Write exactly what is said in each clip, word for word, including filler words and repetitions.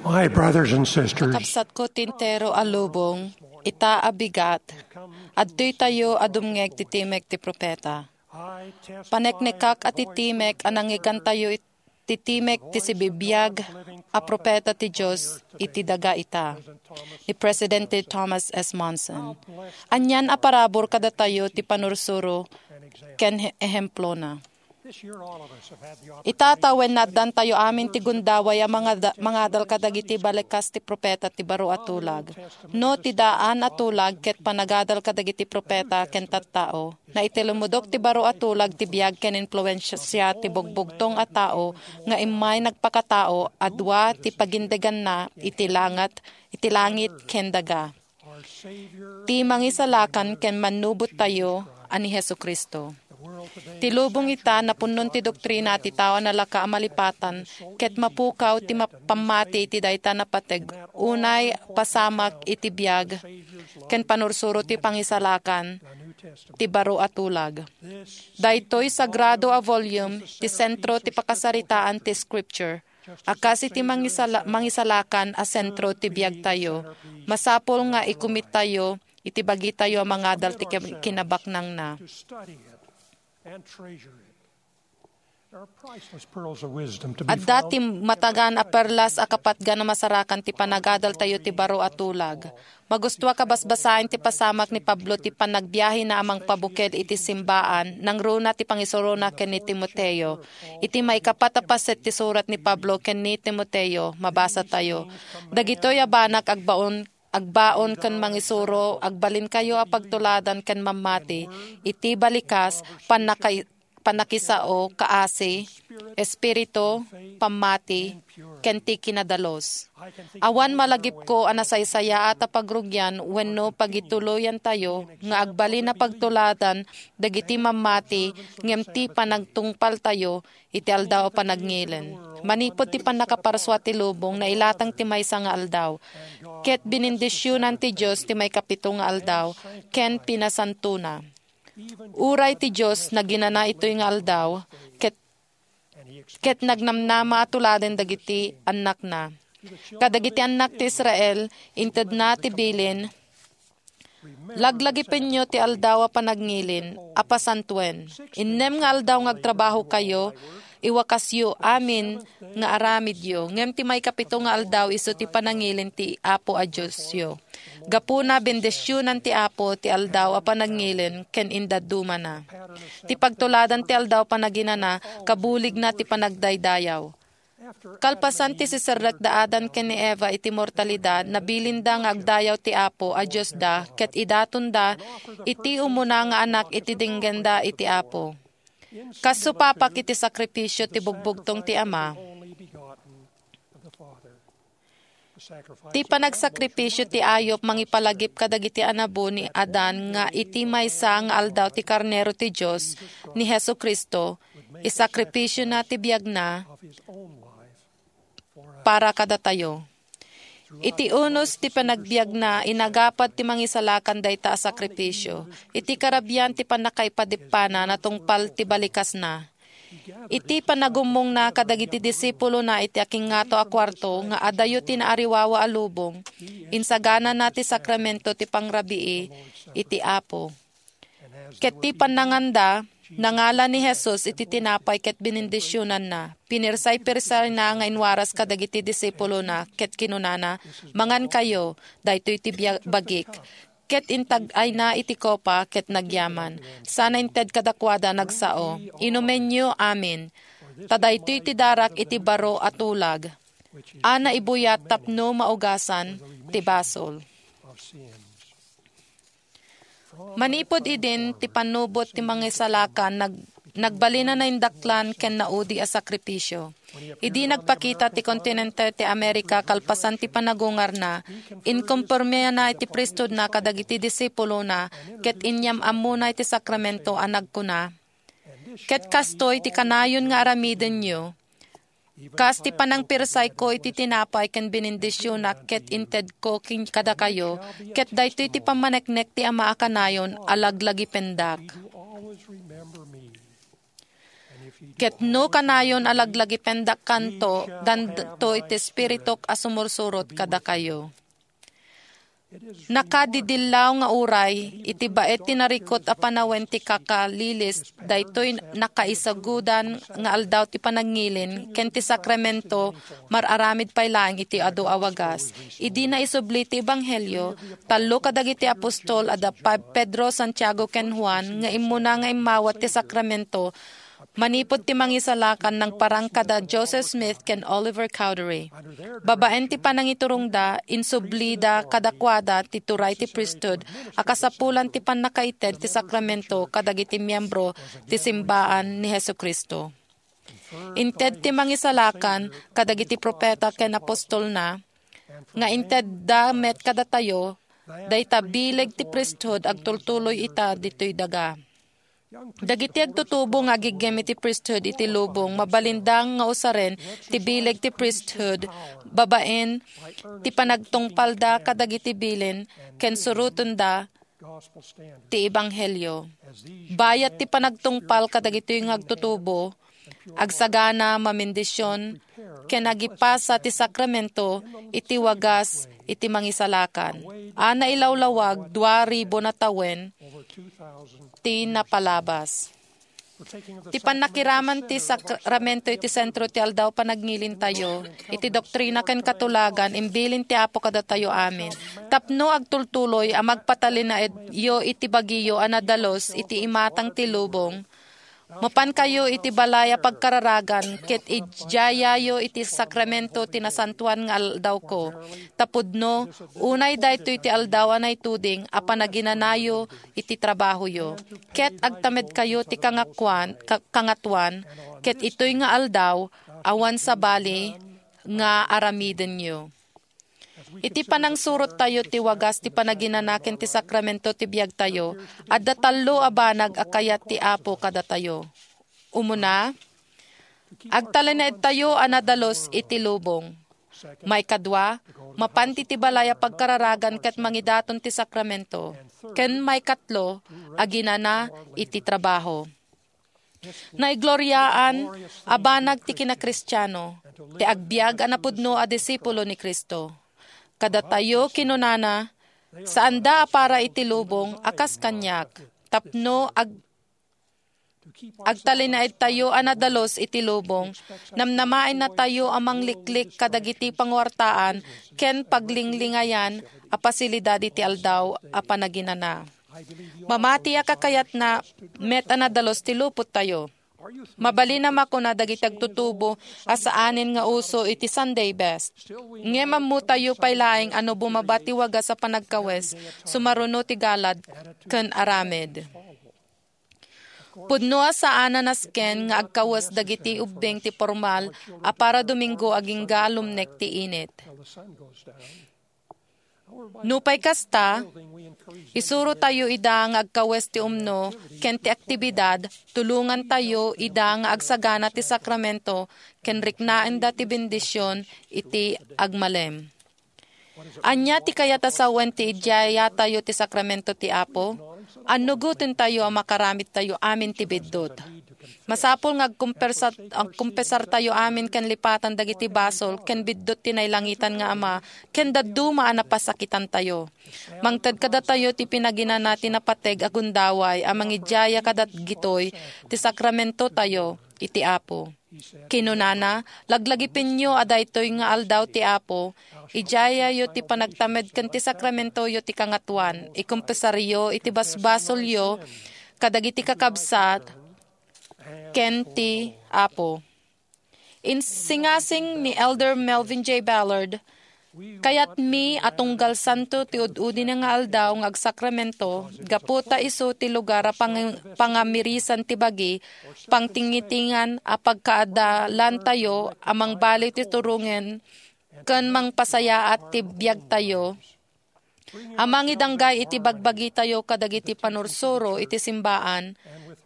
My brothers and sisters, kakabsatko ti entero a lubong, ita a bigat, adtoy tayo a dumngeg ti timek ti propeta. Paneknekak a ti timek a nangngegantayo it-, ti timek ti sibibiag a propeta ti Dios iti daga ita, ni Presidente Thomas S. Monson. Anian a parabur kadatayo ti panursuro ken he-, ehemplona. Ita tawen, naaddantayo amin ti gundaway a mangada-, mangadal kadagiti balikas ti propeta ti baro a tulag. No ti daan a tulag ket panagadal kadagiti propeta ken tattao, naitulmudok ti baro a tulag ti biag ken impluensia ti bugbugtong a tao nga immay nagpakatao a dua ti pagindeganna iti langat, iti langit ken daga. Ti Mangisalakan ken Mannubottayo a ni Jesu-Cristo. Ti lubong ita, napunnon ti doktrina ti tao a nalaka a malipatan, ket mapukaw ti ma-, pammati iti dayta napateg, unay pasamak iti biag ken panursuro ti Pangisalakan ti baro a tulag. Daytoy sagrado a volume ti sentro ti pakasaritaan ti Scripture. A kas iti mangisala-, mangisalakan a sentro ti biagtayo, masapul nga ikumittayo iti bagitayo a mangadal ti kin-, kinabaknangna. Adda ti matagan a perlas a kapatgan a masarakan ti panagadaltayo ti baro a tulag. Magustuak a basbasaen ti pasamak ni Pablo ti panagbiahena a mangpabuked iti simbaan, nangruna ti pangisurona ken ni Timoteo. Iti maikapat a paset ti surat ni Pablo ken ni Timoteo, mabasatayo, "Dagitoy a banak agbaon, agbaon ken mangisuro, agbalinkayo a pagtuladan ken mammati iti balikas, pannakay-, pannakisao, kaasi, espiritu, pammati, ken ti kinadalus." Awan malagipko a nasaysayaat a pagrugian wenno pagituloyantayo nga agbalin a pagtuladan dagiti mammati ngem ti panagtungpaltayo iti Aldaw a Panagngilin. Manipud ti pannakaparsua ti lubong, nailatang ti maysa nga aldaw, ket binindisionan ti Dios ti maikapito nga aldaw ken pinasantona. Uray ti Dios naginana itoy nga aldaw, ket, ket nagnamnama a tuladen dagiti annakna. Kadagiti annak ti Israel, intedna ti bilin, "Laglagipenyo ti Aldaw a Panagngilin a pasantoen. Innem nga aldaw nga agtrabahokayo, iwakasyo amin nga aramidyo, ngem ti maikapito nga aldaw isu ti panangilin ti Apo a Diosyo." Gapuna, bendisionan ti Apo ti Aldaw a Panagngilin ken indaddumana. Ti pagtuladan ti Aldaw a Panaginana, kabuligna ti panagdaydayaw. Kalpasan ti siserrek da Adan ken ni Eva iti mortalidad, nabilinda nga agdayaw ti Apo a Diosda ket idatonda iti umuna nga anak iti dinggenda iti Apo. Kas supapak iti sakripisio ti bugbugtong ti Ama. Ti panagsakripisio ti ayup mangipalagip kadagiti anabo ni Adan nga iti maysa nga aldaw ti Karnero ti Dios, ni Jesu-Cristo, isakripisiona ti biagna para kadatayo. Iti unos ti panagbiagna, inagapad ti Mangisalakan dayta a sakripisio. Iti karabian ti pannakaipadippana, natungpal ti balikasna. Iti panagummongna kadagiti disipulona iti akingngato a kuarto nga adayo ti naariwawa a lubong, insaganana ti sakramento ti pangrabii iti Apo. Ket ti pannanganda, nangala ni Jesus iti tinapay ket binindisionanna. Pinirsay-pirsayna nga inwaras kadagiti disipulona ket kinunana, "Mangankayo, daytoy ti bia-, bagik." Ket intag-ayna iti kopa ket nagyaman. Sana inted kadakuada nagsao, "Inumenyo amin, ta daytoy ti darak iti baro a tulag, a naibuyat tapno maugasan ti basol." Manipud idin ti pannubot ti Mangisalakan, nag-, nagbalin a naindaklan ken naudi a sakripisio. Idi nagpakita ti kontinente ti Amerika kalpasan ti panagungarna, inkompormiana iti priesthoodna kadagiti disipulona ket inyam-ammona iti sakramento a nagkuna, "Ket kastoy ti kanayon nga aramidenyo, kas ti panangpirsayko iti tinapay ken binindisionak ket intedko ken kadakayo, ket daytoy ti pammaneknek ti Ama a kanayon a laglagipendak." Ket no kanayon a laglagipendakkanto, danto iti Espirituk a sumursurot kadakayo. Nakadidillaw nga uray, iti baet ti narikut a panawen ti kakalilis, daytoy nakaisagudan nga aldaw ti panagngilin ken ti sakramento, mar-aramid pay laeng iti adu a wagas. Idi naisubli ti ebanghelio, tallo kadagiti apostol a da Pa-, Pedro, Santiago, ken Juan nga immuna nga immawat ti sakramento, manipud ti mangisalakan nangparang kada Joseph Smith ken Oliver Cowdery. Babaen ti panangiturongda, insublida kadakuada ti turay ti priesthood a kasapulan ti pannakaited ti sakramento kadagiti miembro ti simbaan ni Jesu-Cristo. Inted ti mangisalakan kadagiti propeta ken apostolna, nga intedda met kadatayo, dayta bileg ti priesthood agtultuloy ita ditoy daga. Dagiti agtutubo nga agiggem iti priesthood iti lubong, mabalinda nga usaren ti bileg ti priesthood babaen ti panagtungpalda kadagiti bilin ken surotenda ti ebanghelio. Bayat ti panagtungpal kadagitoy nga agtutubo, agsagana, mamendisyon, ken agipasa ti sakramento iti wagas iti mangisalakan. A nailawlawag, dua ribu na tawen ti napalabas. Ti pannakiraman ti sakramento iti sentro ti aldaw panagngilin tayo, iti doktrina ken katulagan, imbilin ti Apo kadatayo amin. Tapno agtultuloy a magpatalinaedyo iti bagiyo a nadalus iti imatang ti lubong, mapankayo iti balay a pagkararagan ket idiayayo iti sakramento ti nasantoan nga aldawko. Ta pudno, unay daytoy ti aldaw a naituding a panaginanayo iti trabahoyo, ket agtamedkayo ti kangakuan-, ka-, kangatuan, ket itoy nga aldaw, awan sabali nga aramidenyo. Iti panangsurottayo ti wagas ti panaginana ken ti sakramento ti biagtayo, adda tallo a banag a kayat ti Apo kadatayo. Umuna, agtalinaedtayo a nadalus iti lubong. Maikadua, mapan ti balay a pagkararagan ket mangidaton ti sakramento. Ken maikatlo, aginana iti trabaho. Naigloriaan a banag ti kinakristiano, ti agbiag a napudno a disipulo ni Cristo. Kadatayo, kinunana, saanda a para iti lubong a kas kaniak, tapno ag-, agtalinaedtayo a nadalus iti lubong, namnamaennatayo a mangliklik kadagiti panguartaan ken paglinglingayan a pasilidad iti aldaw a panaginana. Mamatiak a kayatna met a nadalus ti lupottayo. Mabalin a makuna dagiti agtutubo a saanen nga uso iti Sunday best. Ngem ammotayo pay laeng a no bumaba ti wagas a panagkawes, sumaruno ti galad ken aramid. Pudno a saan a nasken nga agkawes dagiti ubbing ti pormal a para Domingo agingga a lumnek ti init. Nupay kasta, isurotayo ida nga agkawes ti umno ken ti aktibidad, tulongantayo ida nga agsagana ti sakramento ken riknaenda ti bendisyon iti agmalem. Ania ti kayat a sawen ti idiayatayo ti sakramento ti Apo? Annugotentayo a makaramidtayo amin ti biddut. Masapul nga agkumpersa-, agkumpesartayo amin ken lipatan dagiti basol ken biddut ti nailangitan nga Ama ken dadduma a napasakitantayo. Mangted kadatayo ti pinaginana ti napateg a gundaway a mangidiaya kadagitoy ti sakramentotayo iti Apo. Kinunana, laglagipenyo a daytoy nga aldaw ti Apo, idiayayo ti panagtamed ken ti sakramentoyo ti kangatoan, ikumpesaryo iti basbasolyo kadagiti kakabsat ken ti Apo. Insingasing ni Elder Melvin J. Ballard, "Kayatmi a tunggal santo ti ud-udina nga aldaw nga agsakramento, gapu ta isu ti lugar a pang-, pangamirisan ti bagi, pangtingitingan a pagkaadalantayo a mangbaliw ti turongen ken mangpasayaat ti biagtayo, a mangidanggay iti bagbagitayo kadagiti panursuro iti simbaan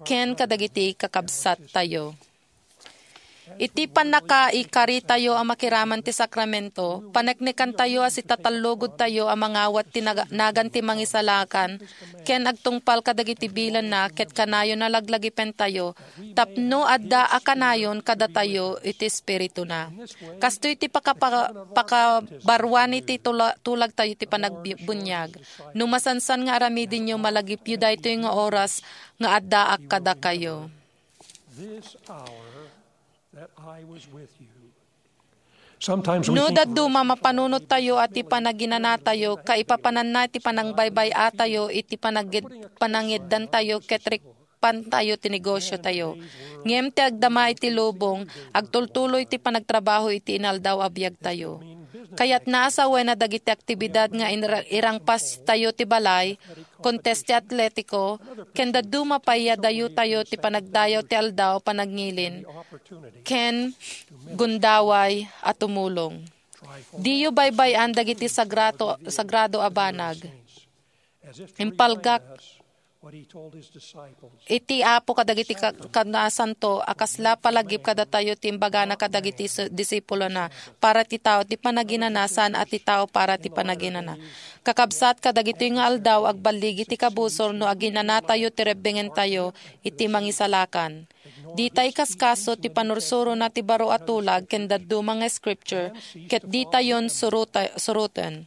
ken kadagiti kakabsattayo." Iti pannakaikaritayo a makiraman ti sakramento, paneknekantayo a sitatallugudtayo a mangawat ti naga-, nagan ti Mangisalakan ken agtungpal kadagiti bilanna ket kanayon a laglagipentayo tapno adda a kanayon kadatayo iti Espirituna. Kastoy ti pakapa-, pakabaruani ti tula-, tulagtayo ti panagbi-, buniag. No masansan nga aramidenyo, malagipyo daytoy nga oras nga addaak kadakayo. This hour that I was with you. Sometimes we No think dadduma, mapanunottayo a ti panaginanatayo, kaipapananna ti panangbaybay-atayo iti panagid-, panangiddantayo ket rikpantayo ti negosyotayo. Ngem ti agdama iti lubong, agtultuloy ti panagtrabaho iti inaldaw a biagtayo. Kayatna a sawen a dagiti aktibidad nga inra-, irangpastayo ti balay, kontes ti atletiko, ken dadduma pay a dayotayo ti panagdayaw ti aldaw a panangngilin ken gundaway a tumulong. Diyo baybay-an dagiti sagrato-, sagrado a banag. Impalgak iti Apo kadagiti ka-, kanasanto a kasla palagip kadatayo ti imbagana kadagiti su-, disipulona, para ti tao ti panaginana saan a ti tao para ti panaginana. Kakabsat, kadagitoy nga aldaw, agballigi ti kabusor no aginanatayo ti rebbengentayo iti Mangisalakan. Dita ikaskaso ti panursurona ti baro a tulag ken dadduma nga scripture, ket ditayon suruta-, suruten.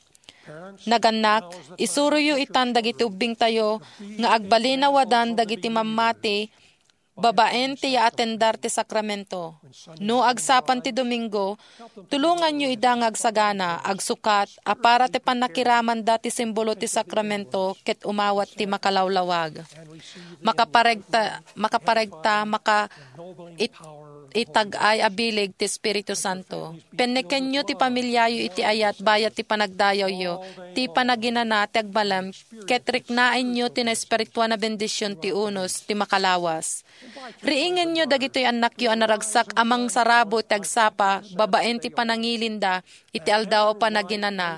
Nagannak, isuroyo itan dagiti ubbingtayo nga agbalin a wadan dagiti mammati babaen ti yaatendar ti sakramento. No agsapan ti Domingo, tulonganyo ida nga agsagana, agsukat a para ti pannakiramanda ti simbolo ti sakramento ket umawat ti makalawlawag. Makaparegta, makaparegta, maka-, it-, itag-ay a bileg ti Espiritu Santo. Pennekenyo ti pamiliayo iti ayat bayat ti panagdayawyo, ti panaginana ti agbalem, ket riknaenyo ti naespirituan a bendision ti unos ti makalawas. Riingenyo dagitoy annakyo a naragsak a mangsarabo ti agsapa babaen ti panangilinda iti aldaw a panaginana,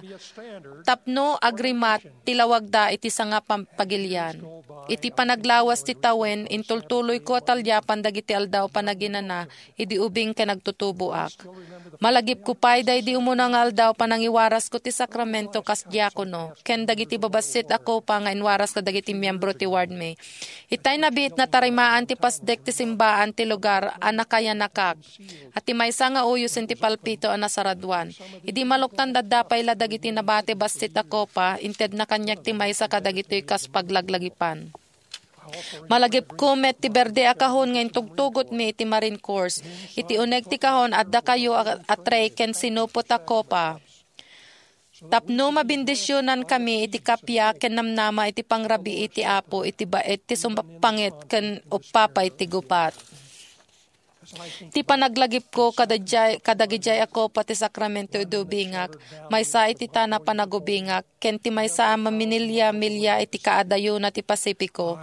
tapno agrimat ti lawagda iti sanga pam-, pagilian. Iti panaglawas ti tawen, intultuloyko a talyapan dagiti aldaw a panaginana idi ubing ken agtutuboak. Malagipko pay daydi umuna nga aldaw panangiwarasko ti sakramento kas diakono, ken dagiti babassit a kopa nga inwaras kadagiti miembro ti wardmi. Itay nabiit, natarimaan ti pasdek ti simbaan ti lugar a nakayanakak, a ti maysa nga uyosen ti palpito a nasaraduan. Idi maluktan, adda pay la dagiti nabati bassit a kopa, intedna kaniak ti maysa kadagitoy kas paglaglagipan. Malagipko met ti berde a kahon nga intugtugotmi iti Marine Corps, iti uneg ti kahon, adda kayo a, a tray ken sinupot a kopa. Tapno mabendisionankami iti kappia ken namnama iti pangrabii ti Apo iti baet ti sumappanget ken uppa pay ti gupat. Ti panaglagipko kadagijay, kadagijay a kopa ti sakramento idi ubingak, maysa iti tana panagubingak, ken ti maysa a maminilya-milya iti kaadayona ti Pasifiko.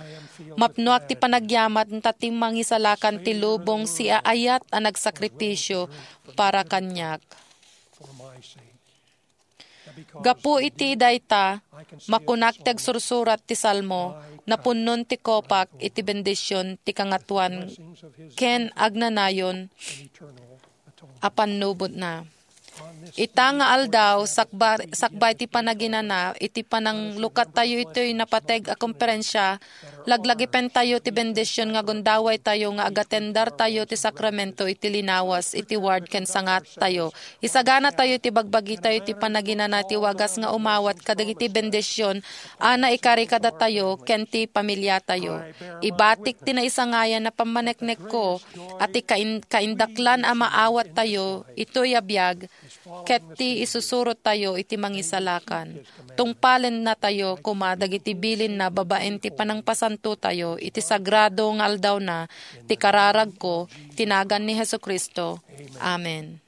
Mapnoak ti panagyaman ta ti Mangisalakan ti lubong siaayat a nagsakripisio para kaniak. Gapu iti dayta, makunak ti agsursurat ti Salmo, napunnon ti kopak iti bendision ti Kangatoan ken agnanayon a pannubotna. Ita nga aldaw, sakba-, sakbay ti panaginana, iti pananglukattayo itoy napateg a komperensia, laglagipentayo ti bendision nga gundawaytayo nga agatendartayo ti sakramento iti linawas iti ward ken sangattayo. Isaganatayo ti bagbagitayo ti panaginana ti wagas nga umawat kadagiti bendision a naikari kadatayo ken ti pamiliatayo. Ibatik ti naisangayan a pammaneknekko a ti kain-, kaindaklan a maawattayo itoy a biag ket ti isusurottayo iti Mangisalakan. Tungpalennatayo koma dagiti bilinna babaen ti panangpasantotayo iti sagrado nga aldawna ti kararagko, ti nagan ni Jesu-Cristo. Amen.